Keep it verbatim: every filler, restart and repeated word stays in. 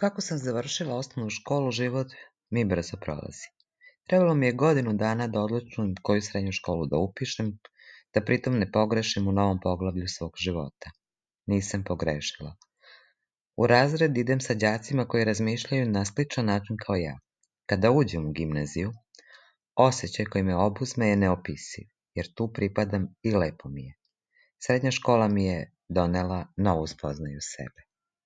Kako sam završila osnovnu školu, život mi brzo prolazi. Trebalo mi je godinu dana da odlučim koju srednju školu da upišem, da pritom ne pogrešim u novom poglavlju svog života. Nisam pogrešila. U razred idem sa đacima koji razmišljaju na sličan način kao ja. Kada uđem u gimnaziju, osjećaj koji me obuzme je neopisiv, jer tu pripadam i lepo mi je. Srednja škola mi je donela novu spoznaju sebe.